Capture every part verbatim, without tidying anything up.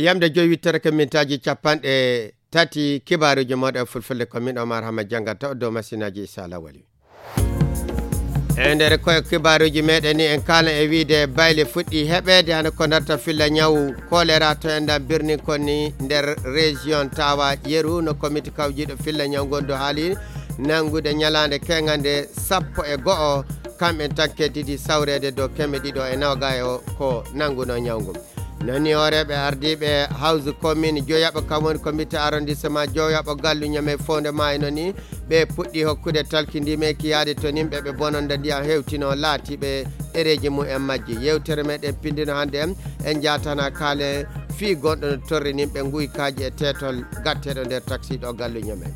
Yamde joyi wittere ko mintaaji capanɗe tati kibaaruuji mooɗon e fulfulde, ko min Omar Hama janngata o dow masinaaji Issa Lawali. E nder koye kibaaruuji meɗen ni en kaala e wiide bayle fuɗɗi heɓeede hano ko darta filla ñaw kolera to enɗan birni konni nder région tawa yeru no komiti kawjiɗo filla ñaw ngondu haali nangude ñalaande keŋande sappo e go'o kamɓe tanke didi sawreede dow keme ɗiɗo e nawgayo ko nanguno ñaw ngun. Nani hooreeɓe ardiiɓe hawsu commune joyaɓo kam woni comité arrondissement joyaɓo gallu ñame fowde ma e noni ɓe puɗɗi hokkude talkindimeki yaade to nimɓe ɓe bononda ndiyam hewtino laatiɓe ɗereeji mum en majji. Yewtere meɗen pindino hannde en en jatana kaale fii gonɗo no torri nimɓe nguykaaji e teetol gatteɗo nder taksiɗo gallu ñame.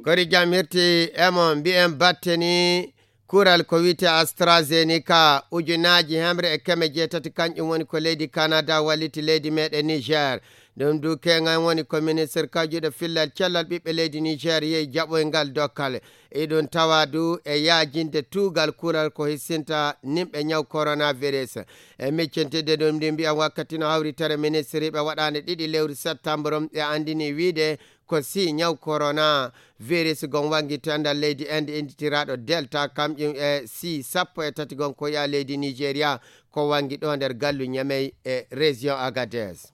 Kori jam hirti emo mbi'en batte ni kural ko wiyte AstraZeneca ujunaaji hemre e keme jeetati kanƴum woni ko leydi Canada walliti leydi meɗen Niger. Ɗum du keŋan woni ko ministre kawjuɗo fillal cellal ɓiɓɓe leydi Niger yehi jaɓoyngal dokkal. Iɗum tawa du e yaajinde tuugal kural ko hissinta nimɓe ñaw coronavirus. E miccintidde ɗum ndi mbiyan wakkati no hawritere ministriiɓe waɗaande ɗiɗi lewru septembre e anndini wiide ko si ñaw corona virus gon wangi to enɗan leydi Inde innditiraaɗo Delta kamƴum e si sappo e tati gon ko yaa leydi Nigeria ko wangi ɗo nder gallu Ñamey e région Agadez.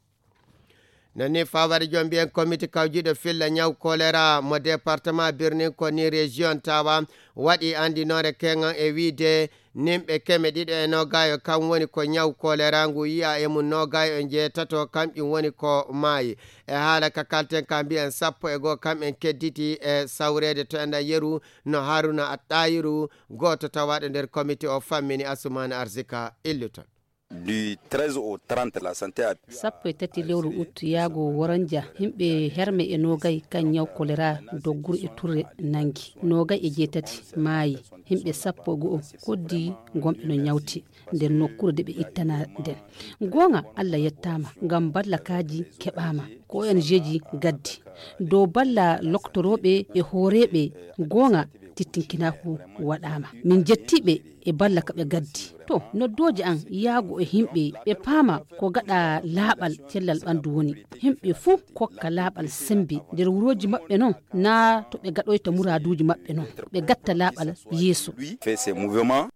Nani fawari jom mbiyen komiti kawjiɗo filla ñaw kolera mo département birnin ko ni région tawa waɗi andinore keŋan e wiide nimɓe keme ɗiɗo e nogayo kam woni ko ñaw kolera ngu yiya e mum nogayo e jeetato kamƴum woni ko maayi. E haala ka kalten ka mbiyen sappo e goo kam en kedditi e sawreede to enɗan yeru no Haruna Attayiru gooto tawaɗo nder komiti o fammini Asumani Arzika illuton. Du treize au trente, la santé a sappo e tati lewru ut yaago woranja himɓe herme e nogay kan ñaw kolera dogguru e turre nangi nogay e jeetati maayi. Himɓe sappo e go'o koddi gonɓe no ñawti nder nokkure de ɓe ittana nden. Goonga Allah yettama ngam ballakaaji keɓama ko O N G ji gaddi dow balla loktorooɓe e hooreeɓe. Goonga tittinkinaku waɗama min jettiɓe e balla ka ɓe gaddi. To noddooje an yaago e himɓe ɓe paama ko gaɗa laaɓal cellal ɓandu woni. Himɓe fuu kokka laaɓal sembe nder wurooji maɓɓe non na to ɓe gaɗoyta muraaduuji maɓɓe non ɓe gatta laaɓal yeeso. Fait ces mouvements.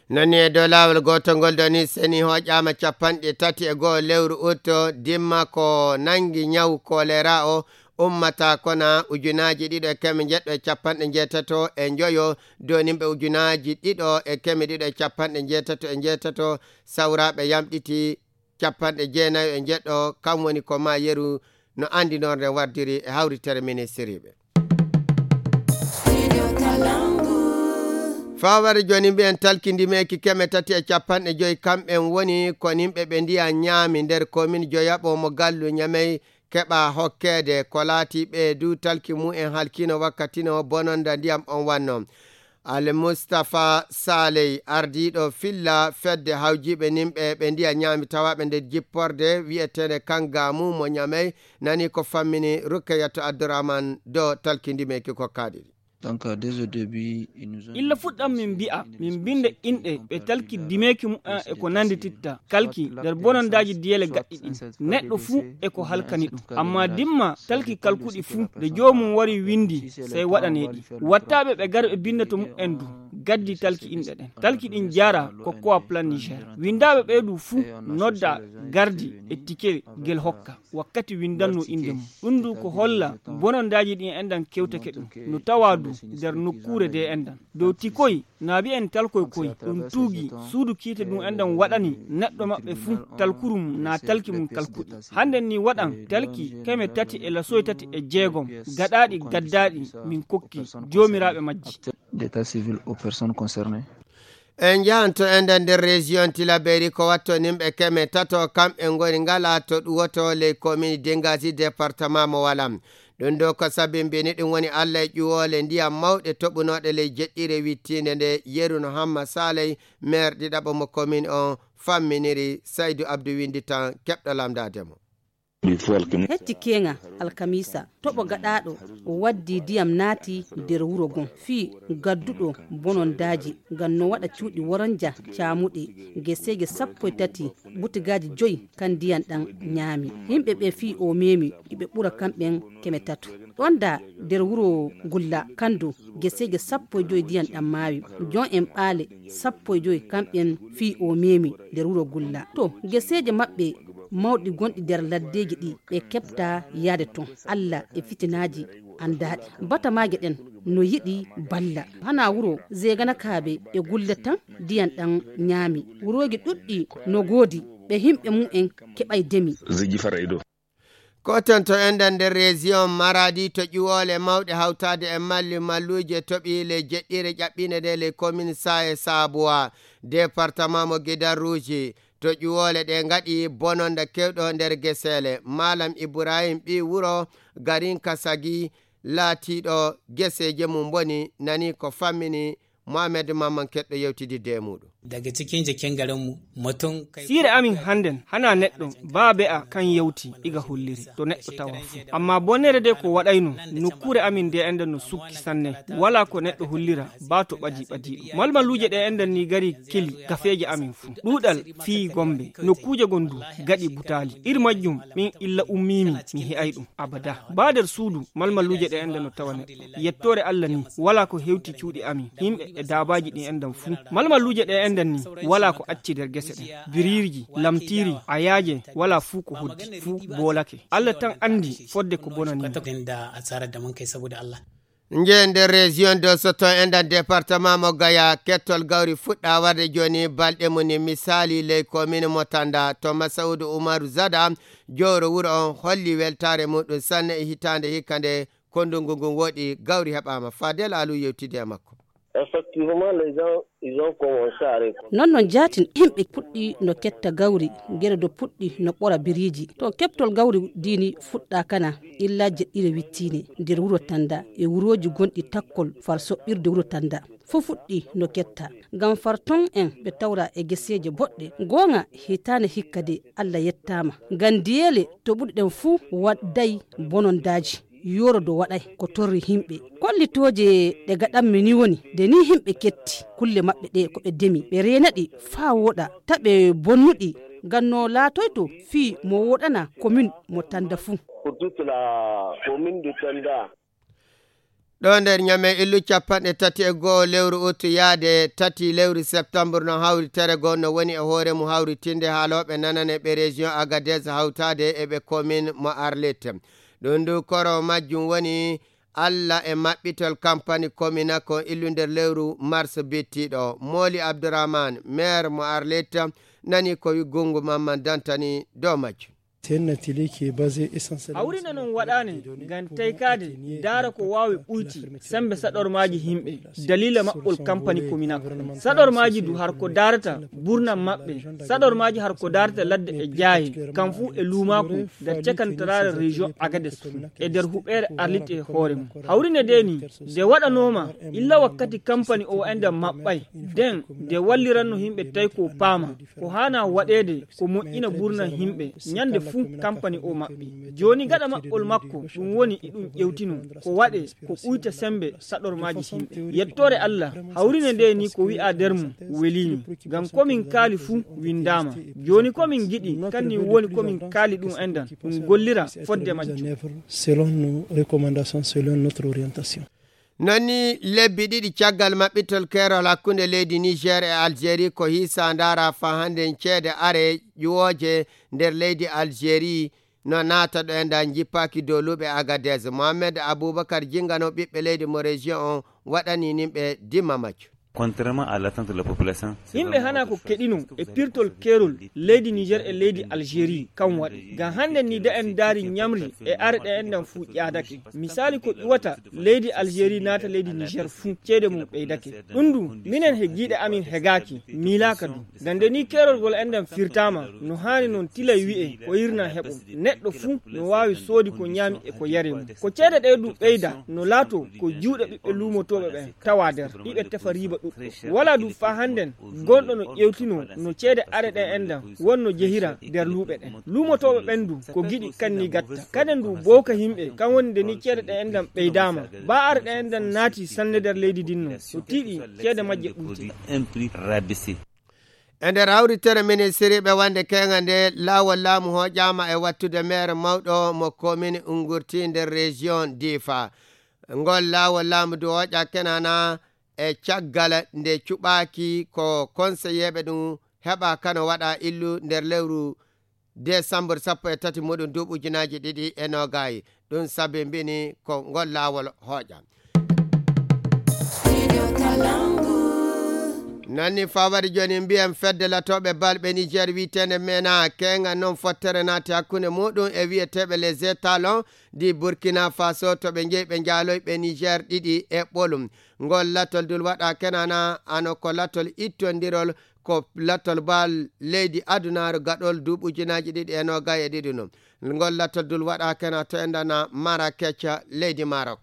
Nani e dow laawol gootol ngol ɗo ni seni hooƴaama capanɗe tati e go'o lewru utto dimma ko nangi ñaw kolera o ummata kona ujunaaji ɗiɗo e keme njeɗɗo e capanɗe njeetato e njoyo donimɓe ujunaaji ɗiɗo e keme ɗiɗo e capanɗe njeetato e njeetato sawraaɓe yamɗiti capanɗe jeenayo e njeɗɗo kam woni ko ma yeru no anndinorde wardiri e hawritere ministiriiɓe. Faware joni mbiyen talkindi meki keme tati e capanɗe joyi kamɓen woni ko nimɓe ɓe ndiya ñaami nder komin joyaɓo mo gallu ñamey keɓa hokkeede ko laati ɓe du talki mumen halkino wakkatino bononda ndiyam on wanno. Al Mustafa Saley ardiiɗo filla fedde hawjiiɓe nimɓe ɓe ndiya ñaami tawaaɓe nder jipporde wi'eteende Kangaamu mo Ñamey nani ko fammini Rukkeyatu Abdurahman do talkindimeki ko kaaɗiri. Donc, dès au début, ils nous ont illa fuɗɗam min mbi'a min mbinda inɗe ɓe talki dimeeki mumen e ko nanndititta kalki nder bonondaaji diyele gaɗɗi ɗin. Neɗɗo fuu e ko halkani ɗum. Amma dimma talki kalkuɗi fuu, nde joomum wari winndi, sey waɗanee ɗi. Wattaaɓe ɓe gar ɓe binnda to mumen du, gaddi talki inɗe ɗen. Talki ɗin jaara ko kowa plan Niger. Winndaaɓe ɓee du fuu nodda gardi e tike gel hokka wakkati winndannoo innde mum. Ɗum du ko holla bonondaaji ɗin enɗan kewtake ɗum. No tawaa du nder nokkuure de enɗan. Dow tikoy, naabi en talkoy koy ɗum tuugi suudu kiite ɗum enɗan waɗani neɗɗo maɓɓe fuu talkurum naa talki mum kalkuɗi. Hannden ni waɗan talki keme tati e lasoy tati e jeegom gaɗaaɗi gaddaaɗi min kokki joomiraaɓe majji. D'état civil aux personnes concernées. En njahanto enɗan nder région Tilaberi ko watto nimɓe keme tato kamɓe ngoni ngala to ɗuwoto ley komini Dengasi département mo Walam. Ɗum ɗo ko sabi mbini ɗum woni Allah e ƴuwoole ndiyam mawɗe toɓunooɗe ley jeɗɗire wittiinde nde yeru no Hamma Saley, maire ɗiɗaɓo mo commune on, famminiri. Saydu Abdu winndi tan keɓɗo lamndaade mo. Hecci keeŋa alkamiisa, toɓo gaɗaaɗo waddi ndiyam naati nder wuro ngon, fii gadduɗo bonondaaji ngam no waɗa cuuɗi woronja caamuɗi, geseeje sappo e tati, butigaaji joyi kan ndiyam ɗam ñaami. Yimɓe ɓe fii o meemi, iɓe ɓura kamɓen keme tato. Ɗon da nder wuro Gulla, kandu geseeje sappo e joyi ndiyam ɗam maawi. Jon en ɓaale sappo e joyi kamɓen fii o meemi nder wuro Gulla. To geseeje maɓɓe mawɗi gonɗi nder laddeeji ɗi ɓe keɓta yaade ton. Alla e fitinaaji anndaaɗi. Batamaaje ɗen no yiɗi balla. Hana wuro Zeeganakaaɓe e Gulla tan ndiyam ɗam ñaami. Wurooji ɗuɗɗi no goodi ɓe yimɓe mum en keɓay demi. Ziggy Faraido. Ko ton to enɗan nder région Maradi to ƴuwoole mawɗe hawtaade e malli malluuje toɓi le jeɗɗire ƴaɓɓiinde nde le commune Saye Sabuwa, département mo Gidan Rouge. To ƴuwoole ɗe ngaɗi bononda kewɗo nder geseele. Malam Ibrahim ɓi wuro Garin Kasagi laatiiɗo geseeje mum boni nani ko fammini Mohamed Mamman Keɗɗo yewtididde e muuɗum. Daga cikin jikin garinmu, mutum kai Siire amin hannden, hana neɗɗo, baa be'a kan yawti iga holliri, to neɗɗo tawa fuu. Amma bonere de ko waɗayno, nokkuure amin nde enɗan no sukki sanne, walaa ko neɗɗo hollira, baa to ɓadi ɓadiiɗo. Malmaluuje ɗe enɗan ni gari keli gafeeje amin fuu. Ɗuuɗal fii Gombe, nokkuuje gon du gaɗi butaali. Ir majjum, min illa ummiimi, mi he'ay ɗum. Abada. Baa nder suudu, malmaluuje ɗe enɗan no tawa neɗɗo. Yettoore Alla ni, walaa ko hewti cuuɗi amin, yimɓe e daabaaji ɗi enɗan fuu. Malmaluuje ɗe enɗan ni, walaa ko acci nder gese ɗen. Biriirji, lamtiiri, ayaaje, walaa fuu ko hoddi, fuu boolake. Alla tan anndi fodde ko bonani. Kwata da asarar da mun kai saboda Allah. Nje nder région de Soto enɗan département mo Gaya, kettol gawri fuɗɗa warde jooni balɗe mum ni. Misaali ley commune mo Tanda, to Masaudu Umaru Zada, jowro wuro on, holli weltaare muɗum sanne e hitaande hikka nde ko ndungu ngun woɗi, gawri heɓaama. Fadel Alu yewtidi e makko. Effectivement, les gens, ils ont commencé à récolter. Non, non, jaatin, yimɓe puɗɗi no ketta gawri, gere do puɗɗi no ɓora biriiji. To keɓtol gawri diini fuɗɗa kana, illa jeɗɗire wittiine nder wuro Tanda e wurooji gonɗi takkol far soɓɓirde wuro Tanda. Fof fuɗɗi no ketta. Ngam far ton en ɓe tawra e geseeje boɗɗe. Goonga, hitaande hikka de, Alla yettaama. Ngam diyeele to ɓuri ɗen fuu wadday bonondaaji. Yoro do waɗay ko torri yimɓe. Kollitooje ɗe gaɗanmi ni woni, nde ni yimɓe ketti kulle maɓɓe ɗe ko ɓe demi, ɓe reena ɗi faa wooɗa, ta ɓe bonnu ɗi, ngam no laatoyto fii mo wooɗana commune mo Tanda fuu. Pour toute la commune de Tanda. Ɗo nder Ñame, illu capanɗe tati e go'o lewru ut yaade tati lewru septembre no hawri tere goo no woni e hoore mum hawritinde haalooɓe nanane ɓe région Agadez hawtaade e ɓe commune mo Arlit. Ɗum ndu koro majjum woni Alla e maɓɓitol kampani Kominako illu nder lewru mars bittiɗo. Mooli Abdourahmane, maire mo Arlit, nani ko wi Gungu Mamman Dantani dow majjum. C'est un atelier qui est basé essentiellement Hawrine sur noon la waɗaani période de données ngam pour taykaade, accompagner daara ko waawi ɓuyti sembe saɗormaaji yimɓe, daliila maɓɓol kampani Kominako. Saɗormaaji du har ko daarata burna maɓɓe, saɗormaaji har ko daarata ladde e jaaye, kam fuu e luumaaku nder cakantaraare région Agadez fuu, e nder huɓeere Arlit e hoore mum. Hawrine de ni, nde waɗanooma illa wakkati kampani o enɗan maɓɓay, den nde walliranno yimɓe tawi ko paama, ko haana waɗeede ko moƴƴina burna yimɓe, ñande fuu kampani o maɓɓi. Jooni gaɗa maɓɓol makko, ɗum woni iɗum ƴewtino, ko waɗe ko ɓuyta sembe saɗormaaji yimɓe. Yettoore Alla, hawrine nde ni ko wi'a nder mum weliimi, ngam ko min kaali fuu winndaama. Jooni ko min ngiɗi, kanni woni ko min kaali ɗum enɗan, ɗum gollira fodde majjum. Selon nos recommandations, selon notre orientation. Non ni lebbi ɗiɗi caggal maɓɓitol keerol hakkunde leydi Niger e Algérie ko hiisa ndaara faa hannde ceede are ƴuwooje nder leydi Algérie no naata ɗo enɗan jippaaki dow luuɓe Agadez. Mohamed Abubakar Jingano ɓiɓɓe leydi mo région on waɗani nimɓe dimma majjum. Contrairement à l'attente de la population, yimɓe hana ko keɗino e pirtol keerol leydi Niger e leydi Algérie kan waɗi. Ngam hannden ni da en ndaari ñamri e are ɗe enɗan fuu ƴaadake. Misaali ko ƴuwata leydi Algérie naata leydi Niger fuu ceede mum ɓeydake. Ɗum du minen he giiɗe amin hegaaki, miilaaka du. Ngam nde ni keerol ngol enɗan firtaama no haani non tilay wi'e ko hirna heɓo. Neɗɗo fuu no waawi soodi ko ñaami e ko yare mum. Ko ceede ɗe du ɓeyda no laato ko juuɗe ɓiɓɓe luumotooɓe ɓen tawa nder, iɓe tefa riiba. Wala du fa hannden gonɗo no ƴewtino no ceede are ɗe enɗan wonno jehira nder luuɓe ɗen. Luumotooɓe ɓen du ko giɗi kanni gatta. Kaden du bowka himɓe kan woni nde ni ceede ɗe enɗan ɓeydaama. Ba are ɗe enɗan naati sanne nder leydi din no. O tiiɗi ceede majje ɓuyti. E nder hawritere ministiriiɓe wonde keeŋa nde, laawol laamu hooƴaama e wattude meer mawɗo mo komin Ungurti nder région Difa. Ngol laawol laamu du hooƴa kenana e caggal nde cuɓaaki ko konseyeeɓe ɗum heɓa kano waɗa illu nder lewru desambur sappo e tati muɗum duuɓi ujunaaji ɗiɗi e noogay. Ɗum sabi mbini ko ngol laawol hooƴa. Nanni fawade jooni mbiyen fedde latooɓe balɓe Niger wiyeteende mena keeŋa non fottere naati hakkunde muɗum e wiyeteeɓe les étalons di Burkina Faso to ɓe njeyi ɓe njaaloy ɓe Niger ɗiɗi e ɓolum. Ngol latol dul waɗa kenana ano ko latol ittondirol ko latol bal leydi adunaaru gaɗol duuɓi ujunaaji ɗiɗi e noogay e ɗiɗi non. Ngol latol dul waɗa kena to endana Marrakech leydi Maroc.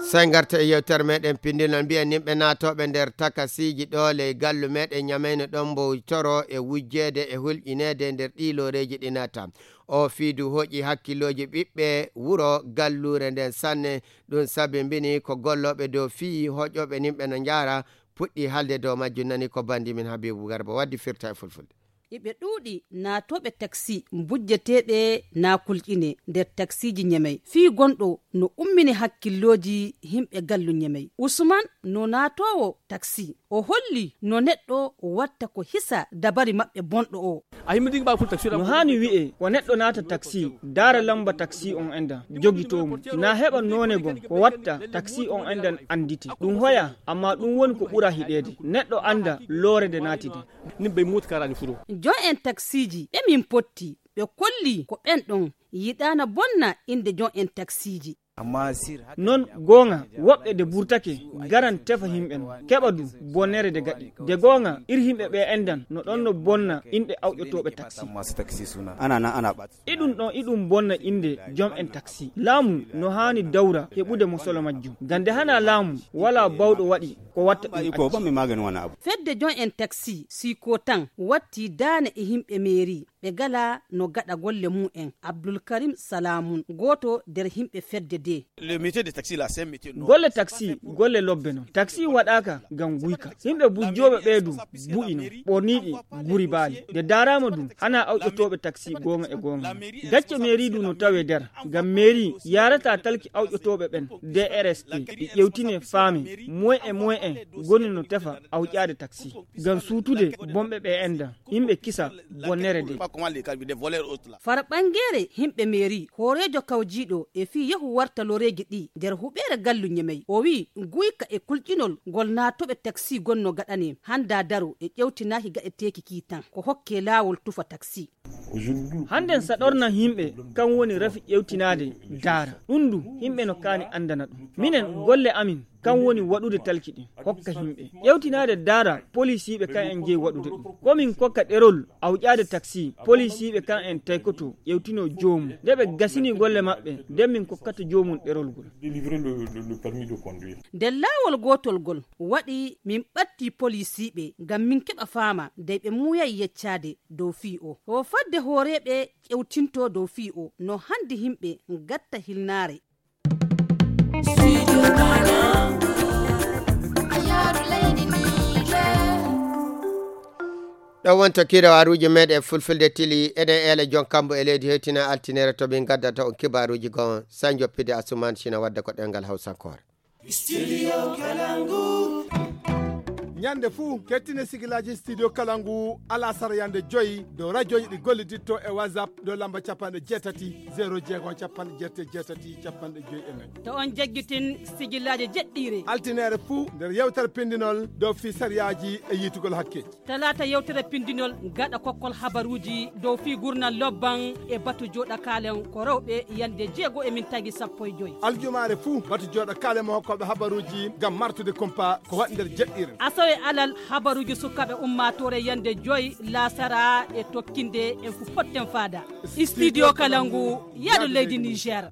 Sey ngarta e yewtere meɗen pindinol mbiyen nimɓe naatooɓe nder takasiiji ɗo ley gallu meɗen ñamayno ɗon mbo toro e wujjeede e hulƴineede nder ɗi looreeji ɗi naata. O fiidu hoƴi hakkillooji ɓiɓɓe wuro galluure nden sanne. Ɗum sabi mbini ko gollooɓe dow fii hoƴooɓe nimɓe no njaara puɗɗi haalde dow majjum. Nani ko bandi min Habibu Garba waddi firta e fulfulde. Iɓe ɗuuɗi naatooɓe taksi mbujjeteeɓe naa kulƴine nder taksiiji ñemey fii gonɗo no ummini hakkillooji himɓe gallu ñemey. Usman no naatoowo taksi o holli no neɗɗo watta ko hisa dabari maɓɓe bonɗo o. No haani wi'e ko neɗɗo naata taksi daara lamba taksi on enda jogitoo mo, na heɓa noone gon ko watta taksi on endan anndite ɗum hoya. Amma ɗum woni ko ɓura hiɗeede neɗɗo annda loore nde naati de. Jon en taksiiji ɓe min potti ɓe kolli ko ɓen ɗon yiɗaana bonna innde jon en taksiiji. Non goonga woɓɓe nde burtake garan tefa himɓe non keɓa du bonnere nde gaɗi. Nde goonga ir himɓe ɓe endan no ɗon no bonna inɗe awƴotooɓe taksi. Iɗum ɗon iɗum bonna innde jom en taksi laamu no haani dawra heɓude mo solo majjum. Ngam nde hana laamu wala bawɗo waɗi ko watta ɗum acci. Fedde jon en taksi siko tan watti daane e himɓe meeri ɓe gala no gaɗa golle mum en. Abdulkarim Salamun gooto nder himɓe fedde de. Golle taksi golle lobbe non taksi waɗaaka ngam guyka. Yimɓe bujjooɓe ɓee du bu'i non ɓorniiɗi guri baali nde daaraama du hana awƴotooɓe taksi goonga e goonga. Gacce meeri du no tawe nder ngam meeri yaarata talki awƴotooɓe ɓen. D R S T ɗi ƴewtine faame moye e moye en goni no tefa awƴaade taksi ngam suutude bonɓe ɓe enda. Yimɓe kisa bonnere de. Far ɓangeere himɓe meeri hooreejo kawjiiɗo e fii yehu warta loreeji ɗi nder huɓeere gallu ñemey o wii guyka e kulƴinol ngol naatooɓe taksi gonno gaɗane hannda daro e ƴewtinaaki gaɗeteeki kii tan ko hokke laawol tufa taksi. Hannden saɗorna yimɓe kan woni rafi ƴewtinaade daara ɗum du yimɓe no kaani anndana ɗum. Minen golle amin kan woni waɗude talki ɗin hokka yimɓe ƴewtinaade daara polisiiɓe kan en jeyi waɗude ɗum. Komin kokka ɗerol awƴaade taksi polisiiɓe kan en taykoto ƴewtino joomum nde ɓe gasini golle maɓɓe nden min kokkata joomum ɗerol ngol. Nder laawol gootol ngol waɗi min ɓatti polisiiɓe ngam min keɓa faama dey ɓe muuyay yeccaade dow fii o o fadde hooreeɓe ƴewtinto dow fii o no hannde yimɓe ngatta hilnaare. Ɗo wonto kirawaaruuji meeɗen fulfulde tili eɗen eela jon kambo e leydi hewtina altinere to min ngaddata on kibaaruuji goo sañ joppide asuman sina wadda ko ɗengal hawsankoore. Ñande fuu kettine sigilaaji studio kala ngu alasara yande joyi dow radioji ɗi golliditto e whatsapp dow lamba capanɗe jeetati zéro jeego capanɗe jeetati jeetati capanɗe joyi e nayi. To on jaggitin sigilaaji jeɗɗiire altineere fuu nder yewtere pindinol dow fii sariyaaji e yiitugol hakke. Talaata yewtere pindinol gaɗa kokkol habaruuji dow fii gurnal lobban e batu jooɗa kaalen ko rewɓe yande jeego e min tagi sappo e joyi. Aljumaare fuu batu jooɗa kaalen mo hokkooɓe habaruuji ngam martude kumpa ko waɗi nder jeɗɗiire. E alal habaruuji sukaaɓe ummaatoore yande joy laasara e tokkinde en fu potten faada. Studio Kalangu, yaadu leydi Niger.